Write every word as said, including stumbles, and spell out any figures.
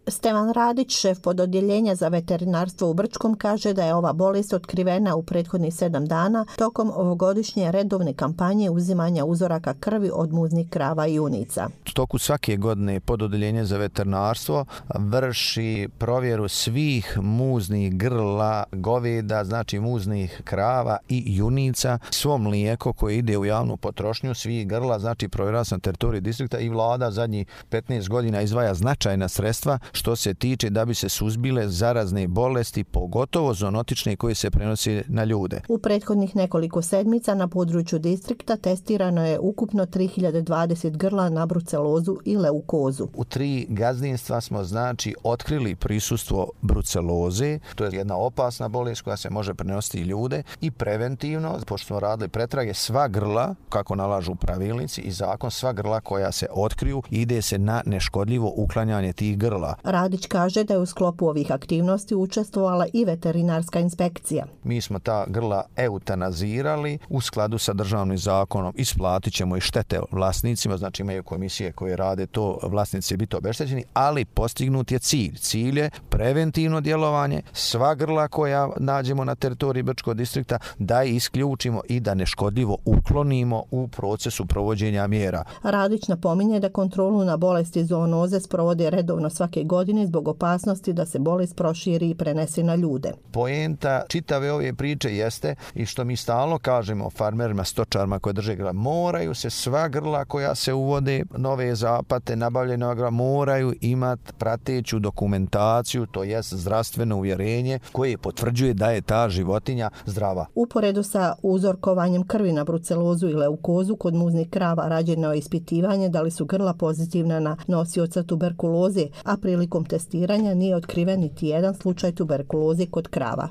Stevan Radić, šef pododjeljenja za veterinarstvo u Brčkom, kaže da je ova bolest otkrivena u prethodnih sedam dana tokom ovogodišnje redovne kampanje uzimanja uzoraka krvi od muznih krava i junica. U toku svake godine pododjeljenje za veterinarstvo vrši provjeru svih muznih grla goveda, znači muznih krava i junica. Svo mlijeko koje ide u javnu potrošnju svih grla, znači provjera se na teritoriji distrikta i vlada zadnjih petnaest godina izdvaja značajna sredstva što se tiče da bi se suzbile zarazne bolesti, pogotovo zoonotične koje se prenose na ljude. U prethodnih nekoliko sedmica na području distrikta testirano je ukupno tri hiljade dvadeset grla na brucelozu i leukozu. U tri gazdinstva smo znači otkrili prisustvo bruceloze, to je jedna opasna bolest koja se može prenositi i ljude, i preventivno, pošto smo radili pretrage, sva grla, kako nalažu pravilnici i zakon, sva grla koja se otkriju, ide se na neškodljivo uklanjanje tih grla. Radić kaže da je u sklopu ovih aktivnosti učestvovala i veterinarska inspekcija. Mi smo ta grla eutanazirali u skladu sa državnim zakonom, isplatit ćemo i štete vlasnicima, znači imaju komisije koje rade to, vlasnici će biti obeštećeni, ali postignut je cilj. Cilj je preventivno djelovanje, sva grla koja nađemo na teritoriji Brčkog distrikta da isključimo i da neškodljivo uklonimo u procesu provođenja mjera. Radić napominje da kontrolu na bolesti zoonoze sprovode redovno svake godine zbog opasnosti da se bolest proširi i prenese na ljude. Poenta čitave ove priče jeste i što mi stalno kažemo farmerima, stočarima koji drže grla, moraju se sva grla koja se uvode, nove zapate, nabavljena grla, moraju imati prateću dokumentaciju, to jest zdravstveno uvjerenje koje potvrđuje da je ta životinja zdrava. Uporedo sa uzorkovanjem krvi na brucelozu i leukozu kod muznih krava rađeno je ispitivanje da li su grla pozitivna na nosioca tuberkuloze, a prilikom testiranja nije otkriven niti jedan slučaj tuberkuloze kod krava.